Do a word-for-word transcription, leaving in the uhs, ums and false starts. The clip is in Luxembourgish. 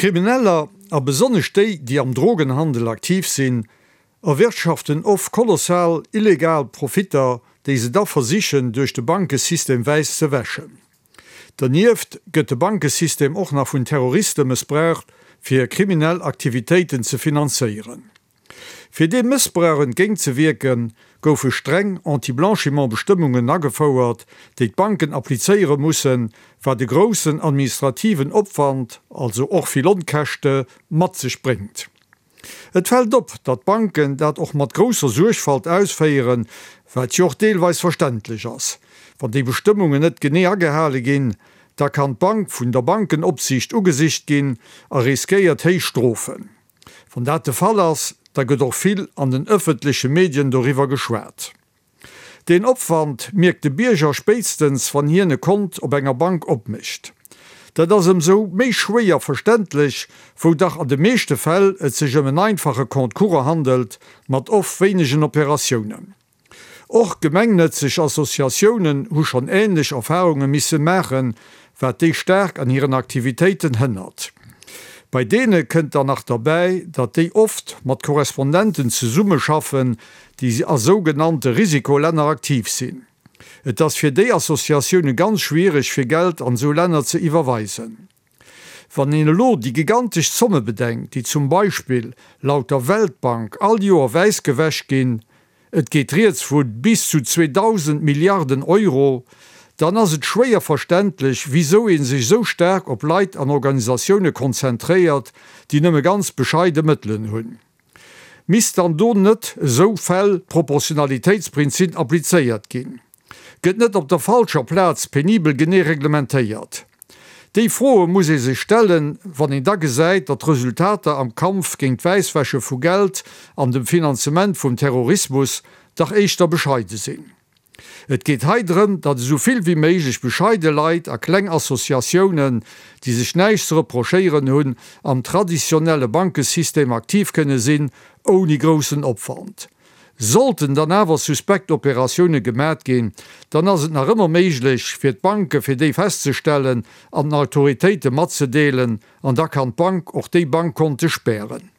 Krimineller, a besonnesch déi, déi am Drogenhandel aktiv sinn, erwirtschaften oft kolossal illegal Profitter, déi se da versichen, duerch de Bankesystem wäiss ze wäschen. Dernieft gëtt de Bankesystem och nach vun Terroriste mëssbraucht, fir kriminell Aktivitéiten ze finanzéieren. Fir deem Mëssbrauch entgéintzewierken, goufe streng Anti-Blanchiment-Bestëmmungen agefouert, déi d'Banken applizéiere mussen, wat e groussen administrativen Opwand, also och vill Onkäschte mat sech bréngt. Et fält op, datt d'Banken dat och mat grousser Suergfalt ausféieren, wat jo och deelweis verständlech ass. Wann déi Bestëmmungen net genee agehale ginn, da kann d'Bank vun der Bankenopsiicht ugesicht ginn a riskéiert héich Strofen. Wann dat de Fall ass, da gëtt och vill an den ëffentleche Medien doriwwer geschwat. Deen Opwand mierkt de Bierger spéitstens, wann hien e Kont op enger Bank opmécht. Dat ass ëmsou méi schwéier verständlech, wou dach an de meeschte Fäll et sech ëm en einfache Compte courant handelt, mat oft wéinegen Operatiounen. Och gemengnëtzeg Associatiounen hu schonn änlech Erfarunge misse maachen, wat déi staark an hiren Aktivitéiten hënnert. Bei deene kënnt dann nach derbäi, datt déi oft mat Korrespondenten zesummeschaffen, déi a sougenannte Risikolänner aktiv sinn. Et ass fir déi Associatioune ganz schwiereg, fir Geld an esou Länner ze iwwerweisen. Wann een elo déi gigantesch Zomme bedenkt, déi zum Beispill laut der Weltbank all Joer wäiss gewäsch ginn, et geet rieds vu bis zu zweedausend Milliarden Euro, dann ass et schwéier verständlech, wisou ee sech esou staark op Leit an Organisatioune konzentréiert, déi nëmme ganz bescheide Mëttelen hunn. Misst dann do net esou Fäll d'Proportionalitéitsprinzip applizéiert ginn? Gëtt net op der falscher Plaz penibel genee reglementéiert? Déi Froe muss ee sech stellen, wann een da gesäit, datt d'Resultater am Kampf géint d'Wäisswäsche vu Geld an dem Finanzement vum Terrorismus dach éischter bescheide sinn. Et geet hei drëm, datt esou vill wéi méiglech bescheide Leit a kleng Associatiounen, déi sech näischt ze reprochéieren hunn, am traditionelle Bankesystem aktiv kënne sinn, ouni groussen Opwand. Sollten dann awer suspekt Operatioune gemat ginn, dann ass et nach ëmmer méiglech, fir d'Banke fir déi festzestellen an den Autoritéite matzedeelen, an da kann d'Bank och déi Bankkonte spären.